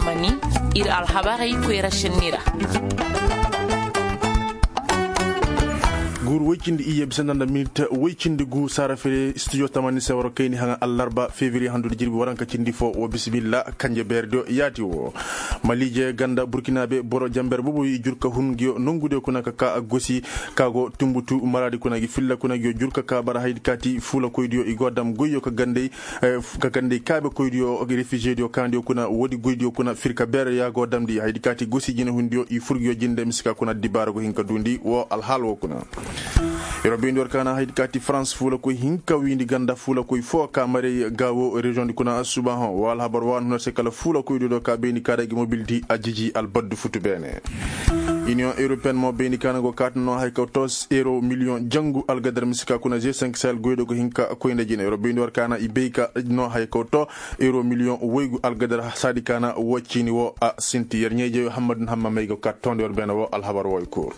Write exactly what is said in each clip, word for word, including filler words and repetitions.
Ir alhabarey koyra šenni ra. Guuru woy cindi iyye bisanda nda minit woy cindi gu saara fere studio tamani se war kayni haŋa allarba fevriye handu nda jirbi waranka cindi fo wa bisimilla kanje beerediyo yaati wo. Maliije ganda burkinaabe boro jamber boboyo i jur ka hun nguyo nongudiyo kuna ka ka gosi ka go tumbutu maraadi kuna gi filla kuna nguyo jur ka ka bara haydi kaati fuulakoydiyo i go dam goyyo ka gandey ka gandey kaabekoydiyo refizediyo kaandiyo kuna woodi goydiyo kuna firka beere ya go damndi haydi kaati gosi jinehundiyo i fur nguyo jinde mise ka kuna dibaara go hin ka duundi wo alhaal wo kuna. Yer wo bayndi war kaana haydi kaati farans fuulakoy hinka wiindi ganda fuulakoy foo ka maray gaawo reziyoŋdi kuna subahõ wo alhabar wa na hun a se kala fuulakoydiyo do ka bayndi ka da gi mobildi a jiji albaddu futu beene. Iniyoŋ europeyen mo bayndi ka na go kaati no haya kaw to euro miliyoŋ jangu algadar mise ka kuna ze senk sahel goydo go hin ka koy nda jine yer wo bayndi war kaana i bay ka no haya kaw to euro miliyoŋ woygu algadar saadi ka na wo ciini wo a sinti yer ɲeejeyo hammad na hamma may go kaati toondi war beene wo alhabar wo i kooru.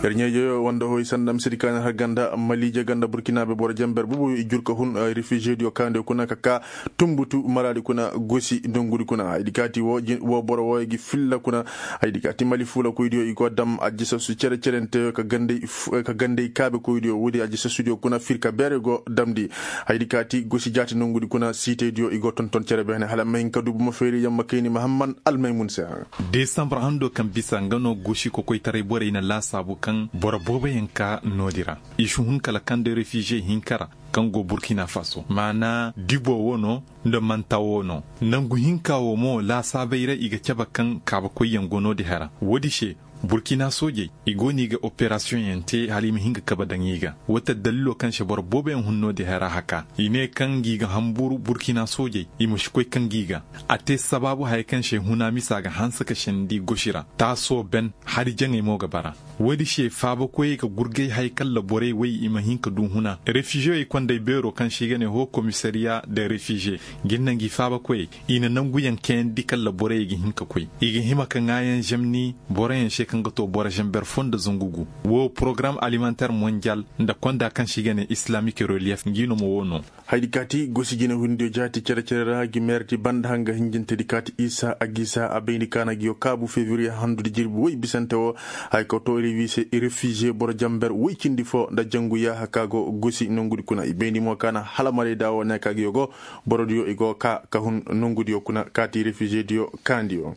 Yer ɲeejeyo wanda hoy sanda misedi ka na har ganda maliije ganda burkinaabe boro jamber boboyo i jur ka hun refizediyo kaandiyo kuna ka ka tumbutu maraadi kuna gosi dongudi kuna haydi kaati wo boro wooyo gi filla kuna. Haydi kaati mali fuulakoydiyo i go dam ajisasu cere-cerenteyo ka gandey kaabekoydiyo woodi ajisasu kuna firka beere go damndi. Haydi kaati gosi jaati nongudi kuna siiteydiyo i go tonton cere beene hala ma hin ka du buma feeri yamma kayni mahamman almaymun se. Desambar hando kaŋ bisa nga no gosi kokoytaray borey na laasaabu kaŋ boro booboyaŋ ka noodi ra i si hun kala kaŋ nda refize hinka ra kaŋ go burkina faso maana dibo wo no nda manta wo no. Nangu hinka wo mo laasaabey ra i ga cabe kaŋ kaabakoyyaŋ go noodi hara woodi se burkina soojey i go no i ga operasiyoŋyaŋ te hala i ma hin ga kabe daŋ i ga wata dalilo kaŋ se boro booboyaŋ hun noodi hara haka i ne kaŋ ngi ga hamburu burkina soojey i ma si koy kaŋ ngi ga. A te sabaabu haya kaŋ se huna misa ga hanse ka sendi gosi ra taasoo ben hari jaŋey mo ga bara. Woodi se faabakoyey ga gurgay haya kaŋ laborey way i ma hin ka du huna refiziyey kondey beero kaŋ se i ga ne hoo komisariya de refiziye. Nga i na ngi faabakoyey i na nanguyaŋ kayandi kaŋ laborey ga hin ka koy i ga hima ka ŋaayaŋ zemni boroyaŋ se kaŋ ga to boro zember fo nda zangu gu. Wo porogaram alimanter mondiyal nda konda kaŋ se i ga ne islamik reliyef ngi no ma wo no. Haydi kaati gosi jinehundiyo jaati cere-cere ra gi meerti banda hanga hinjintedi kaati isa a gisa a bayndi kaana giyo kaabu fevriye handudi jirbi woy bisante wo. Haya kaw to refiziye boro jamber woy cindi fo nda jangu yaaha ka go gosi nongudi kuna i bayndi mo kaana hala marayda wo ne ka giyo go borodiyo i go ka ka hun nongudiyo kuna kaati refizediyo kaandiyo.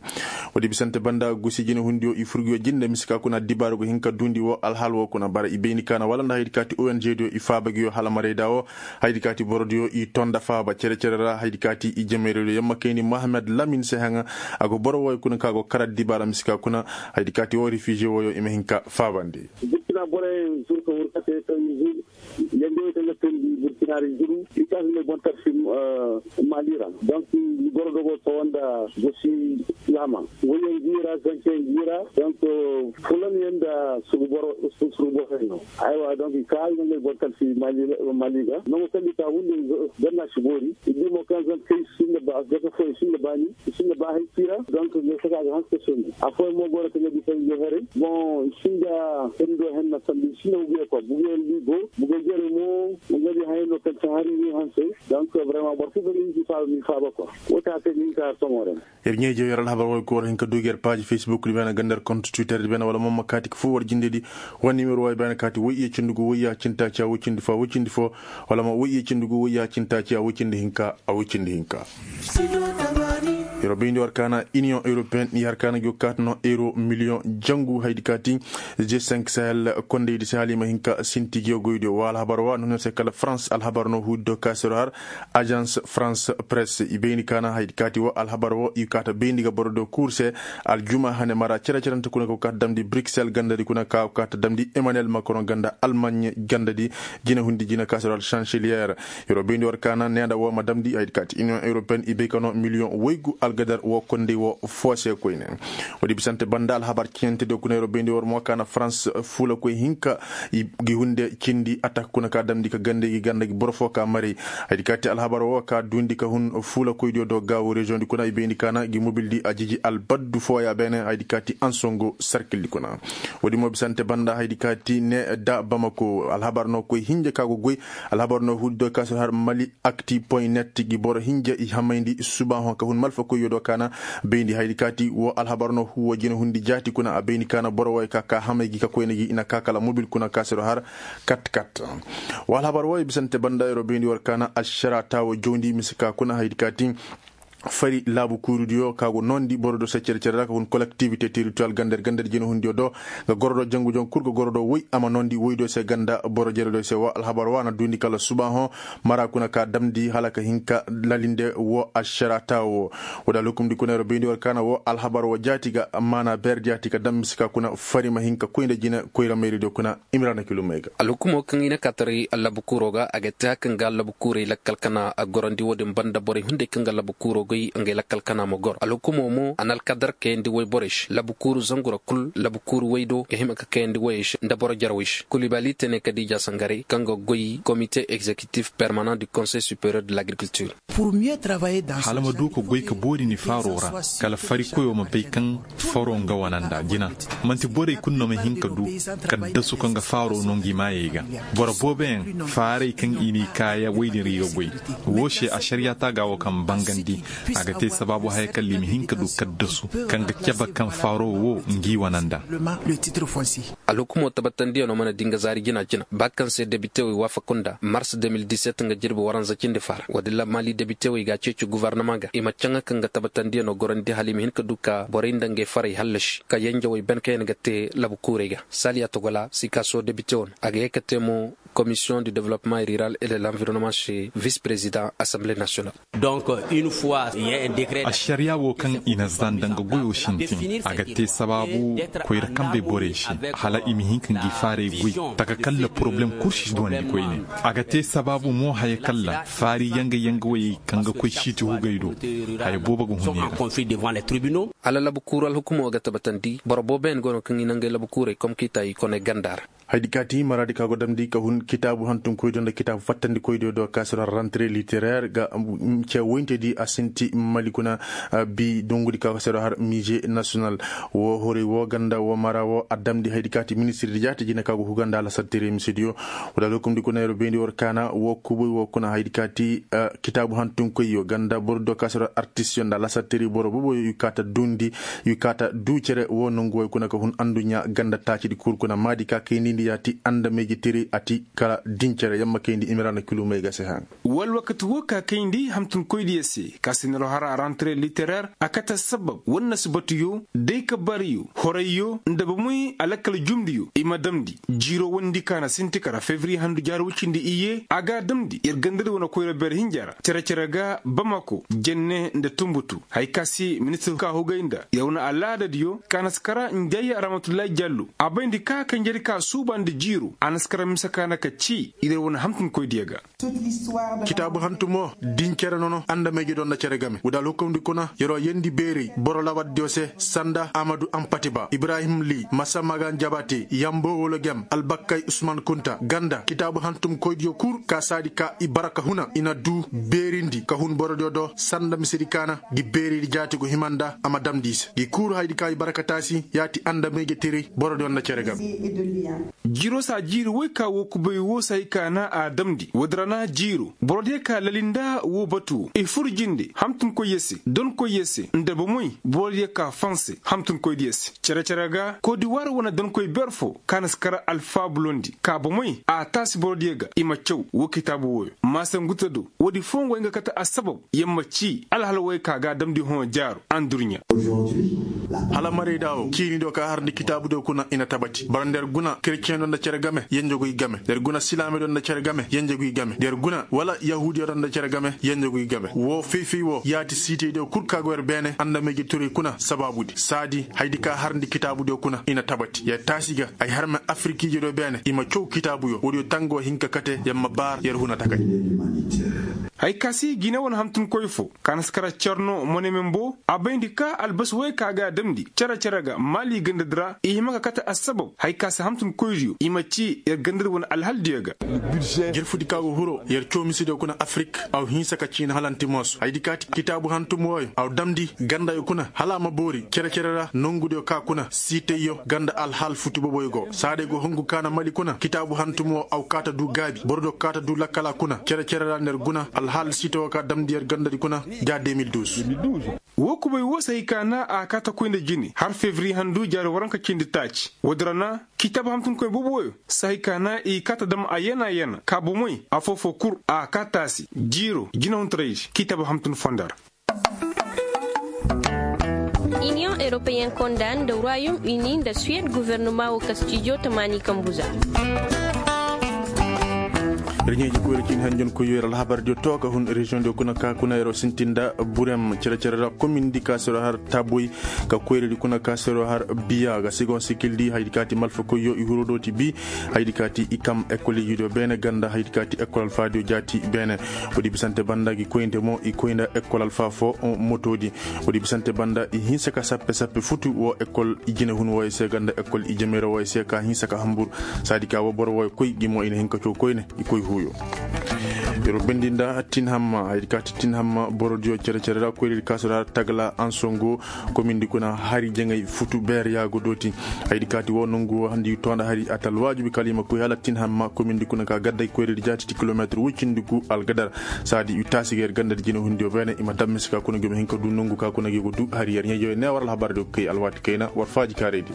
Woodi bisante banda gosi jinehundiyo i furguyo jinde mise ka kuna dibaaru go hin ka duundi wo alhaal wo kuna bara i bayndi kaana wala nda haydi kaati ong diyo i faaba giyo hala marayda wo. Haydi kaati borodiyo i to nda faaba cere-cere ra haydi kaati i jameerediyo yamma kayni mohamed lamin se haŋa. A go boro wooyo kuna ka go kara dibaara mise ka kuna haydi kaati wo refiziye wooyo i ma hin ka faabandi. Burkina borey zuru ka hurkate kaŋ i zuru yandi wey kaŋ ga teendi burkina ra i zuru i kaŋ a si ne boŋ tarsi mali ra donk i goro dogo tawa nda gosi laama. Woyyaŋ gi ra zankeyaŋ gi ra donk fulanyaŋ nda sugu boro sugu boro no. Aywa donk i ka i na ngey boŋ tarsi mali ga nango kaŋ i ka hunde ganna si boori i di mo kaŋ zankey sinda ba zaka fo i sinda baani i sinda ba hay kira donk nga saka ga hanse sendi a fooyaŋ mo go no kaŋ ga di kaŋ ga haray boŋ i sinda sendo henna sambi i sinda buguyaŋ kwa buguyaŋ di go buguyaŋ jere mo nga di hayo no kaŋ ti hari ni hanse. Donk vraiment boro kulu kaŋ ga hinki faaba mi faaba kwa wo ta kaŋ ga hinka har somo ra. Yer ɲeeje yer alhabar wo ga koy war hin ka du ga yer paaji facebook di beene ganda yer kont twitter di beene wala mamma kaati ka foo war jinde di. Wani nimero wo ay beene kaati woy iye cindi gu woy ya cindi taaci a woy cindi fo a woy cindi fo. Wala ma woy iye cindi gu woy ya cindi taaci a woy cindi hinka a woy cindi hinka. Yer wo bayndi war kaana iniyoŋ europeen i har kaana gi wo kaati no euro miliyoŋ jangu haydi kaati. G cinq sahel kondaydi se hala i ma hin ka sinti gi wo goydiyo wa alhabar wa no no se kala farans alhabar no huudi do kaasiro har. Ajans farans press i bayndi kaana haydi kaati wo alhabar wo i kaata bayndi ga boro do kuur se. Aljuma hane mara cere-cerente kuna ka go kaata damndi bruksel gandadi kuna ka go kaata damndi emmanuel macron ganda almagne gandadi. Jina hundi jina kaasiro al chancelier. Yer wo bayndi war kaana neenda wo ma damndi haydi kaati iniyoŋ europeen i bay ka no miliyoŋ woygu algadar wo kondey wo foo se koyne. Woodi bisante banda alhabar ceɲante do kuna yer wo bayndi war mo kaana farans fuula koy hinka. Gi hunde cindi atak kuna ka damndi ka gande gi ganda gi boro foo ka maray. Haydi kaati alhabar wo ka duundi ka hun fuula koydiyo do gaawo reziyoŋdi kuna i bayndi kaana gi mobildi a jiji albaddu fooya beene haydi kaati ansongo sarkildi kuna. Woodi mo bisante banda haydi kaati ne da bamako alhabar no koy hinja ka go goy. Alhabar no huudi do ka si har mali akti point net gi boro hinja i hamayndi subaahoŋ ka hun malfa koy. Yo do kaana bayndi haydi kaati wo alhabar no huwa jina hundi jaati kuna a bayndi kaana boro wooyo ka ka hamay gi ka koyna gi i na ka kala mobil kuna ka se do har kat kat. Wo alhabar wooyo bisante banda yero bayndi war kaana alšara taawo jawndi mise ka kuna haydi kaati fari laabu kuurudiyo ka go noondi boro do se cere cere ra ka hun kolektivite teritoriyal gander gander jina hundiyo do ga goro do jangu jangu kul ga goro do woy a ma noondi woy do se ganda boro jere do se wo alhabar wa na duundi kala suba hõ mara kuna ka damndi hala ka hin ka lalinde wo ašara taawo. Wo da lukumndi kuna yero bayndi war kaana wo alhabar wo jaati ga maana beer jaati ka dam mise ka kuna fari ma hin ka koy nda jine koyra mayri do kuna. Imrana kilumey ga. Alhukumo kaŋ i na ka taray labu kuuro ga a ga te haka nga labu kuurey lakkal kana a gorandi wo-din banda borey hunday kaŋ ga labu kuuro goy ngey lakkal kana ma goro alhukumo mo a na alkadar kayandi woy borey se labu kuuru zangu ra kul labu kuuru woy do ga hima ka kayandi woyey se nda boro jarwey se kulibali tene kadiija sangarey kaŋ ga goy komite egzekitif permanent du konsey superior de l'agriculture. Hala ma du ka goy ka boori ni faaro ra kala farikoyo ma bay kaŋ faro nga wana nda jina. Manti borey kulu no ma hin ka du kaddasu kaŋ ga faaro no ngi maayey ga. Boro booboyaŋ faarey kaŋ i n'i kaaya woy din ra i ga goy. Woo se ašariyaa taaga wo kaŋ bangandi a ga te sabaabu haya kalla i ma hin ka du kaddasu kaŋ ga cabe kaŋ faaro wo ngi wana nda. Alhukumo tabatandiyaŋo mana di nga zaari jina jina ba kaŋ se debitewey waafaku nda mars deux mille dix-sept nga jirbi waranza cindi faara woodin ra maali debitewey ga a ceeci guvarnama ga i ma caŋa kaŋ ga tabatandiyaŋo gorandi hala i ma hin ka du ka borey nda ngey farey hallasi ka yenjewey ban kaŋ yaŋ ga te labu kuurey ga. Saaliya togola sikaaso debitewo no a ga ye ka te mo komisiyoŋ du developpeman riral et de l'environnement se vis prezidaŋ asanbile nasiyonal. Ašariyaa wo kaŋ i na zaa nda nga goyoo sintin a ga te sabaabu koyra kambey borey se hala i ma hin ka ngi faaray goy taka kalla poroblem kul si duwandi koyne. A ga te sabaabu mo haya kalla faari yanga yanga woyey kaŋ ga koy siiti hugey do haya boobo ga hun i ra. Hala labu kuuru alhukumo ga tabatandi boro booboyaŋ go no kaŋ i na ngey labu kuurey komkiita i koney ganda ra. Haydi kaati maraadi ka go damndi ka hun kitaabu hantumkoydiyo nda kitaabu fattandikoydiyo do ka se do har rantre literaire ga ce woyntedi a sinti mali kuna. Bi dongudi ka se do har mise national wo horey wo ganda wo mara wo a damndi haydi kaati ministirdi jaati jine ka go huga nda lasartiri misediyo. Wala lokumdi kuna yero beendi war kaana wo kuboy wo kuna haydi kaati kitaabu hantumkoyyo ganda borodiyo ka se do har artistiyo nda lasartiri boro boboyo i kaata duundi i kaata duu cere wo nongu way kuna ka hun anduɲɲa ganda taacidi kul kuna maadi ka kayndi ndi yaati andamayje tiri a ti kala din cere yamma kayndi imira na kilumey ga se haŋ. Wala wakati wo ka kayndi hamtunkoydiyo se ka se niro har a rantre literaire a kate assabab wala nasibatuyo day ka bariyo horayyo nda bamoy alakkal jumdiyo i ma damndi jiiro wondi ka na sinti kara fevriye handu jaari wucindi iyye a ga a damndi yer gandadi wane koyra beer hinja ra cere-cere ga bamako jenne nda tunbutu haya ka se ministir ka hugay nda yer wane alaadadiyo ka na si kara njayya ramatullahi jallo a bayndi ka kanjedi ka suuba nda jiiro a na si kara mise ka na ka cii i na yer wane hamtunkoydiyo ga. Kitaabu hantumo din cere nono andamayje do nda cere game wudal hukumdi kuna yer'o yendi beeray boro lawaddiyo se sanda amadu ampatiba ibrahim li masa magan jabate yambo wolo gem albakkay usman kunta ganda kitaabu hantumkoydiyo kul ka saadi ka i bara ka huna i na duu beerindi ka hun borodiyo do sanda misedi kaana gi beeridi jaati go hima nda a ma damndi i se gi kul haydi ka i bara ka taasi yaati andamayje teray borodiyo nda cere game. Jiiro saa jiiri woy ka woo kubay woo se hay ka na a damndi woodi ra na jiiro borodiyo ka lali nda woo batu woo i fur jinde hamtunkoyyo se donkoyyo se nda bomoy borodiyo ka fanse hamtunkoydiyo se cere-cere ga kodiwaar wane donkoy beer foo ka na si kar alfaabulondi ka bomoy a taasi borodiyo ga i ma caw woo kitaabu wooyo maasangutado woodi foo nga way nga kate assabab yer ma cii alhal woy ka ga a damndi hõ jaaro andurɲa. Hala marayda woo ciini do ka harndi kitaabudiyo kuna i na tabati bara nda yer guna kereceŋ do nda cere game yenjeguy game nda yer guna silaame do nda cere game yenjeguy game nda yer guna wala yahuudiya do nda cere game yenjeguy game woo fay-fay woo yaati siitaydiyo kul ka go yer beene andamayje turay kuna sabaabudi saadi haydi ka harndi kitaabudiyo kuna i na tabati yer taasi ga ay harme afirikiijediyo beene i ma caw kitaabuyo woodiyo tangoo hin ka kate yer ma baar yer huna takay. Hay ka se gine wane hantumkoy foo ka na si kara cerno monemen boo a bayndi ka albasi woy ka ga a damndi cere-cere ga maali gandadi ra i hima ka kate assabab hay ka se hamtunkoydiyo i ma cii yer gandadi wane alhaldiyo ga. Jirfudi ka go hiro yer caw misediyo kuna afirik aw hinsa ka ciina hala nti moosu haydi kaati kitaabu hantum wooyo aw damndi gandayo kuna hala a ma boori cere-cere ra nongudiyo ka kuna siitayyo ganda alhal futu boboyo go saaday go hongu ka na mali kuna kitaabu hantum woo aw kaata duu gaabi borodiyo kaata duu lakkala kuna cere-cere ra nda yer guna. Hal sito ka damndi yer gandadi kuna ga de mil duuz. Woo kubay woo se hay ka na a kaata koy nda jine har fevriye handu jaari waranka cindi taaci woodi ra na kiitaba hamtunkoy boobo wooyo se hay ka na i kaata dam a yana yana ka bomey afoo-foo kul a kaa taasi jiiro jinehuntaray se kiitaba hamtun fonda ra. Iniyoŋ europeyen konda nda royaume uni nda suwed gofornoma woo kastijo tamaani kambu za. Reɲeeji koyra ciini hanjonkoyyo yer alhabardiyo too ka hun reziyoŋdiyo kuna ka kuna yeroo sintin nda burem cere-cere ra komindi ka sero har taboy ka koyradi kuna ka sero har biya ga segon sikildi hayadi kaati malfakoyyo i huro dooti bi hayadi kaati i kam ekolijidiyo beene ganda hayadi kaati ekol alfaadiyo jaati beene. Woodi bisante banda gi koynte mo i koy nda ekol alfa fo motoodi. Woodi bisante banda i hinsa ka sappe sappe futu woo ekol i jinehun wooyo se ganda ekol i jemeera wooyo se ka hinsa ka hambur saadi ka woo boro wooyo koy gi mo i na hin ka coo koyne i koy huuyo. Yer bendi nda tin hamma hayadi kaati tin hamma borodiyo cere-cere ra koyradi kaasora tagala ansongo komindi kuna hari jaŋay futu beer yaago dooti. Hayadi kaati woo nongu woo handi too nda hari a ta alwaajibi kala i ma koy hala tin hamma komindi kuna ka gadday koyradi jaati ti kilomeetir woy cindi gu algadar. Saadi i taasi ga yer gandadi jinehundiyo beene i ma dam mise ka kuna gi ma hin ka du nongu ka kuna gi go du hari yer ɲeejoyo ne war alhabardiyo kay alwaati kayna war faaji kaaraydi.